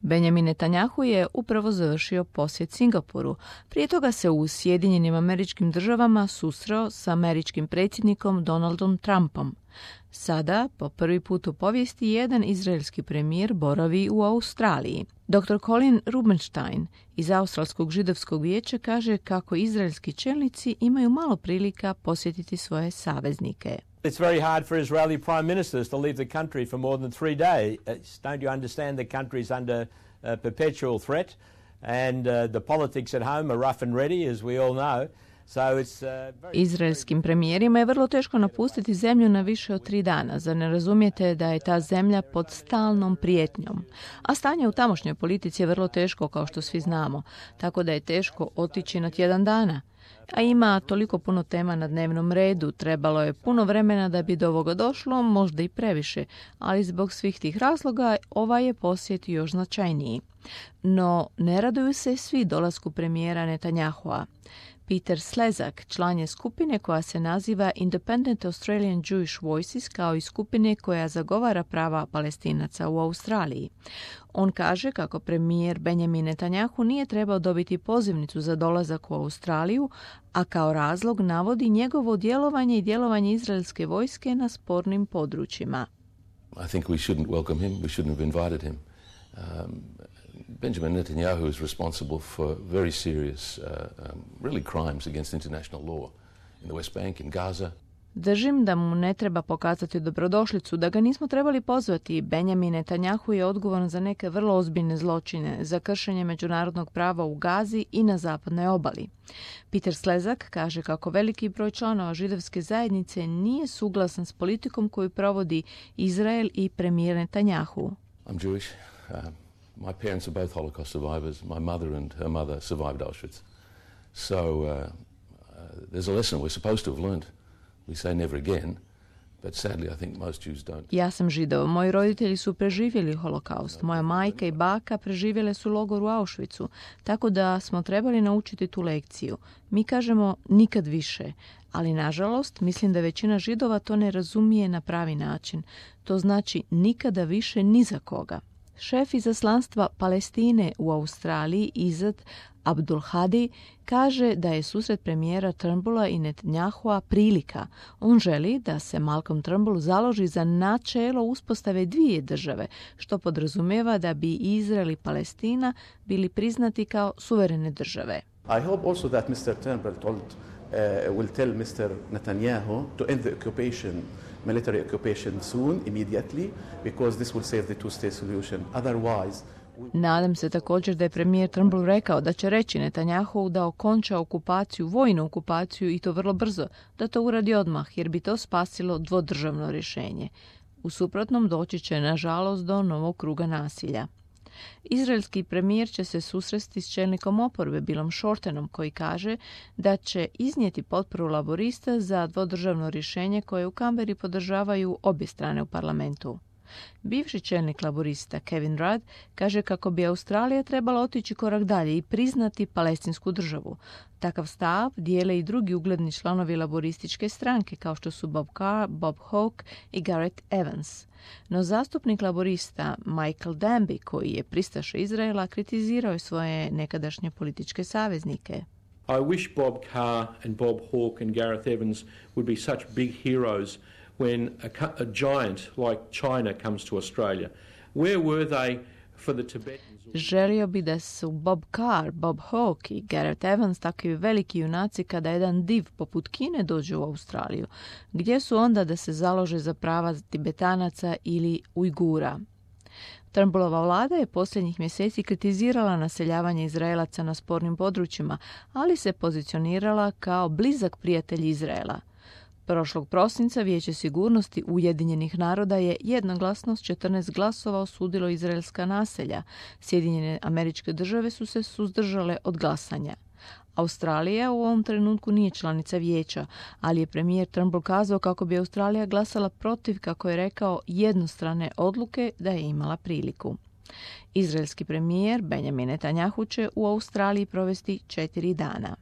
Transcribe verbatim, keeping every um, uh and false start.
Benjamin Netanjahu je upravo završio posjet Singapuru. Prije toga se u Sjedinjenim Američkim Državama susreo s američkim predsjednikom Donaldom Trumpom. Sada, po prvi put u povijesti, jedan izraelski premijer boravi u Australiji. doktor Colin Rubenstein iz Australskog židovskog vijeća kaže kako izraelski čelnici imaju malo prilika posjetiti svoje saveznike. It's very hard for Israeli prime ministers to leave the country for more than three days. Don't you understand the country is under uh, perpetual threat and uh, the politics at home are rough and ready, as we all know. So it's, uh, very... Izraelskim premijerima je vrlo teško napustiti zemlju na više od tri dana. Zar ne razumijete da je ta zemlja pod stalnom prijetnjom? A stanje u tamošnjoj politici je vrlo teško, kao što svi znamo, tako da je teško otići na tjedan dana. A ima toliko puno tema na dnevnom redu, trebalo je puno vremena da bi do ovoga došlo, možda i previše, ali zbog svih tih razloga ovaj je posjet još značajniji. No, ne raduju se svi dolasku premijera Netanjahua. Peter Slezak, član je skupine koja se naziva Independent Australian Jewish Voices, kao i skupine koja zagovara prava Palestinaca u Australiji. On kaže kako premijer Benjamin Netanjahu nije trebao dobiti pozivnicu za dolazak u Australiju, a kao razlog navodi njegovo djelovanje i djelovanje izraelske vojske na spornim područjima. I think we shouldn't welcome him, we shouldn't have invited him. Um, Benjamin Netanyahu is responsible for very serious, uh, um, really crimes against international law in the West Bank, in Gaza. Držim da mu ne treba pokazati dobrodošlicu, da ga nismo trebali pozvati. Benjamin Netanjahu je odgovoran za neke vrlo ozbiljne zločine, za kršenje međunarodnog prava u Gazi i na zapadnoj obali. Peter Slezak kaže kako veliki broj članova židovske zajednice nije suglasan s politikom koju provodi Izrael i premijer Netanjahu. I'm Jewish. Uh, my parents are both Holocaust survivors. My mother and her mother survived Auschwitz. So uh, uh, there's a lesson we're supposed to have learned. We say never again, but sadly I think most Jews don't. Ja sam Židov. Moji roditelji su preživjeli holokaust. Moja majka i baka preživjele su logor u Auschwitzu, tako da smo trebali naučiti tu lekciju. Mi kažemo nikad više, ali nažalost mislim da većina Židova to ne razumije na pravi način. To znači nikada više ni za koga. Šef izaslanstva Palestine u Australiji, Izad Abdulhadi, kaže da je susret premijera Turnbulla i Netanjahua prilika. On želi da se Malcolm Turnbull založi za načelo uspostave dvije države, što podrazumijeva da bi Izrael i Palestina bili priznati kao suverene države. I hope also that mister Turnbull told, uh, will tell mister Netanyahu to end the occupation, military occupation soon, immediately, because this will save the two-state solution. Otherwise, Nadam se također da je premijer Turnbull rekao da će reći Netanjahu da okonča okupaciju, vojnu okupaciju i to vrlo brzo, da to uradi odmah jer bi to spasilo dvodržavno rješenje. U suprotnom doći će nažalost do novog kruga nasilja. Izraelski premijer će se susresti s čelnikom oporbe Billom Shortenom koji kaže da će iznijeti potporu laborista za dvodržavno rješenje koje u Kamberi podržavaju obje strane u parlamentu. Bivši čelnik laborista Kevin Rudd kaže kako bi Australija trebala otići korak dalje i priznati palestinsku državu. Takav stav dijele i drugi ugledni članovi laborističke stranke kao što su Bob Carr, Bob Hawke i Gareth Evans. No zastupnik laborista Michael Danby, koji je pristaša Izraela, kritizirao je svoje nekadašnje političke saveznike. I wish Bob Carr and Bob Hawke and Gareth Evans would be such big heroes when a, a giant like China comes to Australia. Where were they for the Tibetans? Želio bi da su Bob Carr, Bob Hawke i Gareth Evans takvi veliki junaci kada jedan div poput Kine dođe u Australiju. Gdje su onda da se založe za prava Tibetanaca ili Ujgura? Turnbullova vlada je posljednjih mjeseci kritizirala naseljavanje Izraelaca na spornim područjima, ali se pozicionirala kao blizak prijatelj Izraela. Prošlog prosinca Vijeće sigurnosti Ujedinjenih naroda je jednoglasno s četrnaest glasova osudilo izraelska naselja. Sjedinjene Američke Države su se suzdržale od glasanja. Australija u ovom trenutku nije članica vijeća, ali je premijer Turnbull kazao kako bi Australija glasala protiv, kako je rekao, jednostrane odluke da je imala priliku. Izraelski premijer Benjamin Netanjahu će u Australiji provesti četiri dana.